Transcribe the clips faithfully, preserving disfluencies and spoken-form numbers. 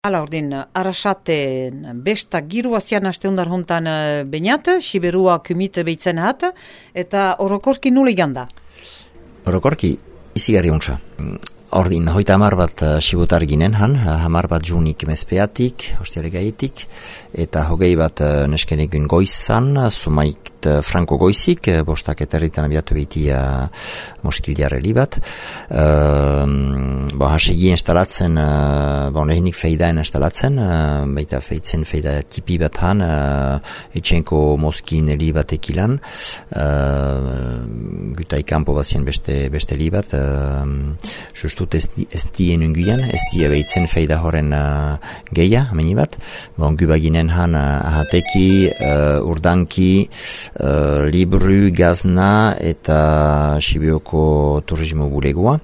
Hala ordin, arrasaten besta giru azian asteundar hontan bainat, siberua kumite behitzen hat, eta orokorki nule ganda? Orokorki, izigarri untsa. Ordin, hoita hamar bat sibutar ginen han, hamar bat junik mezpeatik, hostiare gaietik, eta hogei bat neskenegun goizan, sumaik franko goizik, bostak eterritan abiatu behitia moskildiarreli bat. Uh, bo, hasegi instalatzen, uh, bo, lehenik feidaen instalatzen, uh, baita feitzen feida tipi bat han, uh, etxenko moskin li bat ekilan, uh, gutai kampo bazien beste, beste li bat, uh, justut ez, ez dien unguian, ez die behitzen feida horren uh, geia, ameni bat, bon, gubaginen han uh, ahateki, uh, urdanki, Uh, libru, gazna eta Sibioko turismo bulegoa.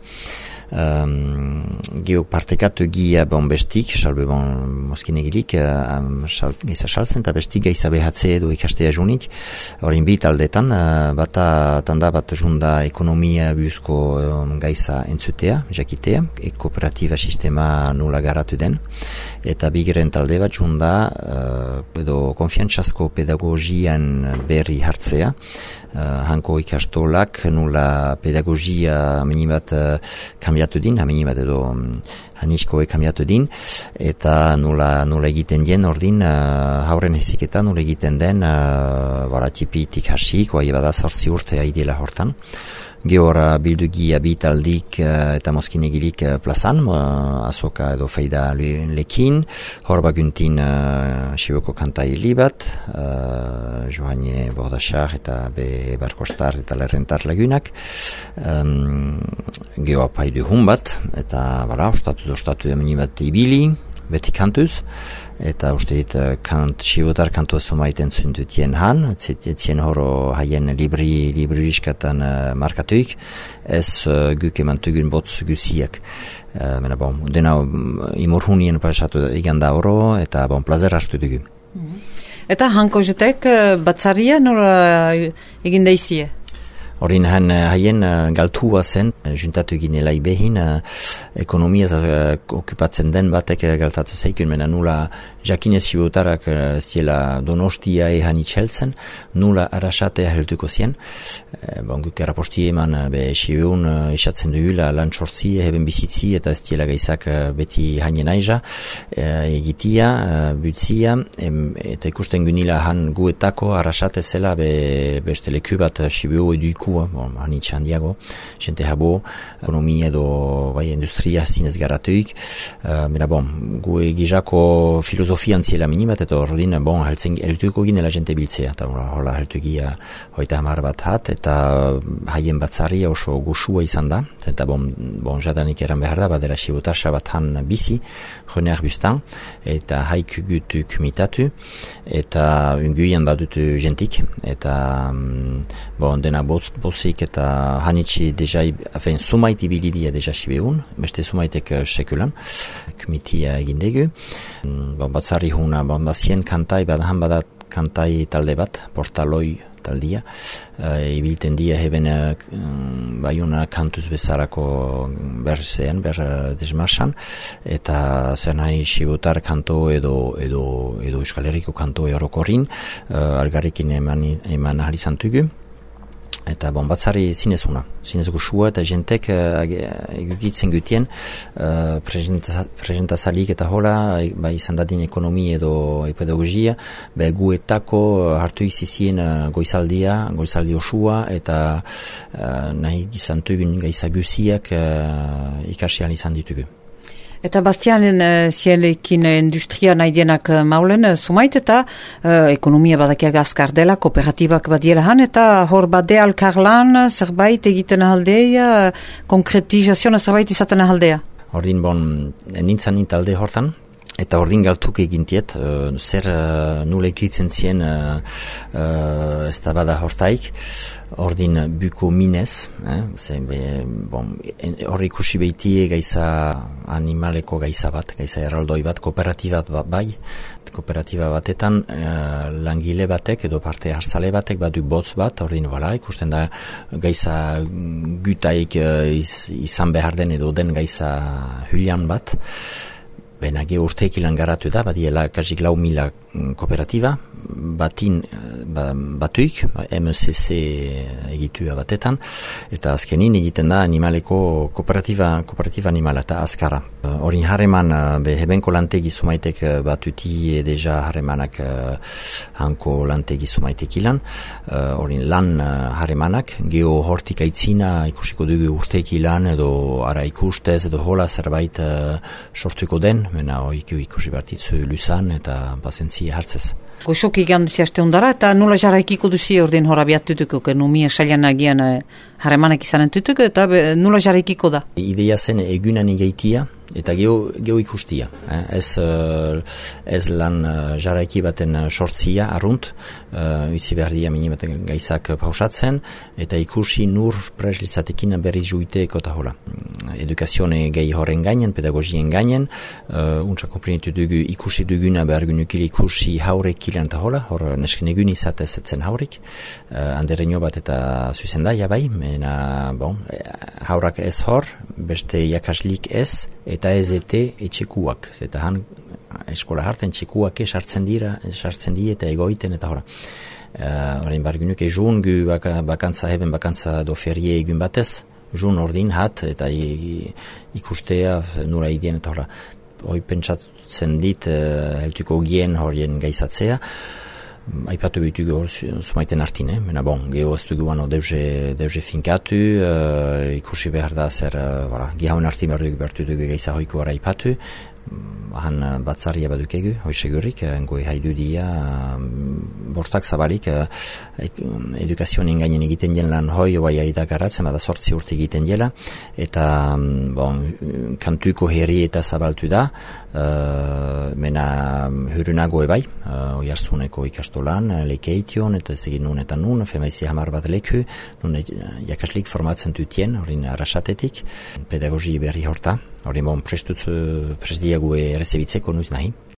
Um, Geo partekatu gia bon bestik, salbe bon moskinegilik, um, sal, geiza saltzen, eta bestik geiza behatze edo ikastea junik. Horin bi taldetan, uh, bata tanda bat junda ekonomia buzko um, geiza entzutea, jakitea, e kooperatiba sistema nula garatu den, eta bigeren talde bat junda uh, edo konfiantzazko pedagogian berri hartzea, uh, hanko ikastolak nula pedagogia minibat uh, kambiatu din, haminibat edo um, haniskoe kambiatu din, eta nula, nula egiten dien ordin uh, hauren heziketa nula egiten den uh, baratipitik hasik, oa ebada sortzi urte aidela hortan. Gehora bildugia bitaldik uh, eta moskinegilik uh, plazan, uh, azoka edo feida le, lekin, hor baguntin uh, Sibioko kantai libat, uh, Joanie Bordasar eta Be Barkostar eta Lerrentar lagunak, um, geho apaidu hun bat, eta bala, ostatu ostatu emeni bat ibili, beti kantuz, eta uste dit kant, sibotar kantua somaiten zundutien han, etzien horo haien libri, libri iskatan uh, markatuik, ez uh, guk emantugun botz guziak. Uh, mena bon, dena um, imurhunien pasatu iganda oro, eta bon, plazer hartu dugu. Mm-hmm. Eta hanko jetek batzaria nola egin daizie? Horin han haien uh, galtua zen, juntatu ginela ibehin, uh, ekonomiaz uh, okupatzen den batek uh, galtatu zeikun, mena nula jakinez sibotarak uh, ziela donostia ehan itxeltzen, nula arrasatea helduko zien. Uh, bon, guk eraposti eman uh, be sibeun uh, esatzen dugula lan sortzi, heben bizitzi, eta ez ziela gaizak uh, beti hainen aiza, uh, egitia, uh, butzia, em, eta ikusten gunila han guetako arrasate zela be, beste leku bat uh, sibeu eduiko bon, hanitxe handiago, jente habo, ekonomia edo bai, industria zinez garatuik, uh, mera bon, gu egizako filosofian ziela minibat, eta ordin, bon, heltzen, heltuko ginela jente biltzea, eta hola heltu gira hoita hamar bat hat, eta haien batzari oso gusua izan da, eta bon, bon jadanik eran behar da, badera sibotarsa bat han bizi, joneak bustan, eta haik gutu kumitatu, eta unguian badutu jentik, eta bon, dena botz bozik eta hanitsi deja, afen, sumait ibilidia deja sibeun, beste sumaitek uh, sekulan, kumitia egindegu. Bon, batzari huna, bon, bazien kantai, badahan badat kantai talde bat, portaloi taldia, uh, ibilten dia heben uh, baiuna kantuz bezarako berzean, ber uh, desmarsan, eta zen nahi sibotar kanto edo, edo, edo Euskal Herriko kanto orokorrin, uh, algarrikin eman, eman ahalizantugu. Eta bon, batzari zinezuna, zinez gusua, eta jentek uh, egukitzen gutien uh, presentazalik eta hola, bai izan dadin ekonomi edo pedagogia, be guetako uh, hartu izizien uh, goizaldia, goizaldi osua, eta uh, nahi izantugun gaizaguziak uh, ikasian izan ditugu. Eta Bastianen uh, zielekin industria nahi dienak uh, maulen, uh, sumait eta uh, ekonomia badakiak azkar dela, kooperatibak badiela han, eta hor bade alkarlan zerbait egiten ahaldea, uh, konkretizazioa zerbait izaten ahaldea. Hordin bon, nintzen nintalde hortan, eta ordin galtuk egintiet, uh, zer uh, nule eklitzen zien uh, uh, ez da bada hortaik, ordin buko minez, eh? Zer, be, bon, hor ikusi behitie gaiza animaleko gaiza bat, gaiza erraldoi bat, kooperatiba bat bai, kooperatiba batetan uh, langile batek edo parte hartzale batek badu botz bat, ordin bala, ikusten da gaiza gutaik uh, iz, izan behar den edo den gaiza hulian bat, Bena, ge urteek ilan garatu da, badiela kasik lau mila kooperatiba, batin ba, batuik, M C C egitua batetan, eta azkenin egiten da animaleko kooperatiba, kooperatiba animala eta azkara. Horin harreman, be hebenko lantegi sumaitek batuti deja harremanak hanko lantegi sumaitek ilan, horin lan harremanak, geho hortik aitzina ikusiko dugu urteek ilan, edo ara ikustez, edo hola zerbait sortuko den, mena oiku ikusi bartitzu lusan eta pazientzia hartzez. Goxoki gandizia aste ondara eta nula jarraikiko duzi ordin horabiat tutuko, que numia xalian agian harremanak izanen tutuko eta be, nula jarraikiko da. Ideia zen egunan igaitia eta geho, geho ikustia. Eh? Ez, uh, ez lan uh, jarraiki baten uh, sortzia arrunt, uh, utzi behar dia mini baten gaizak pausatzen, eta ikusi nur preslizatekin berriz juiteeko eta hola. Edukazione gehi horren gainen, pedagogien gainen, uh, untsa komprenitu dugu ikusi duguna behar gunukil ikusi haurek ilan eta hola, hor nesken egun izatez etzen haurik, uh, anderreño bat eta zuzendaia bai, mena, bon, haurak ez hor, beste jakaslik ez, eta ez ete etxekuak, eta han eskola hartan etxekuak esartzen dira, esartzen di eta egoiten eta hola. Horrein uh, bargunuk egun gu baka, bakantza heben bakantza do ferie egun batez, jun ordin hat eta i, ikustea nura idien eta hola. Hoi pentsatzen dit uh, heltuko gien horien gaizatzea, aipatu bitugu sumaiten artin, eh? Mena bon, geho ez dugu ano deuze, deuze finkatu, uh, ikusi behar da zer, uh, voilà, gehauen artin behar dugu bertu dugu geiza hoiko ara aipatu, han uh, batzaria badukegu, hoi segurik, uh, goi haidu dia, uh, bortak zabalik, uh, edukazioen gainen egiten jen lan hoi, oai aida garatzen, bada sortzi urte egiten jela, eta, um, bon, kantuko herri eta zabaltu da, uh, mena hurunago ebai, uh, oi arzuneko ikastolan, uh, lekeition, eta ez egin nun eta nun, femaizi hamar bat leku, nun jakaslik formatzen dutien, horin arrasatetik, pedagogi berri horta, hori bon prestutzu, prestiago errezebitzeko nuiz nahi.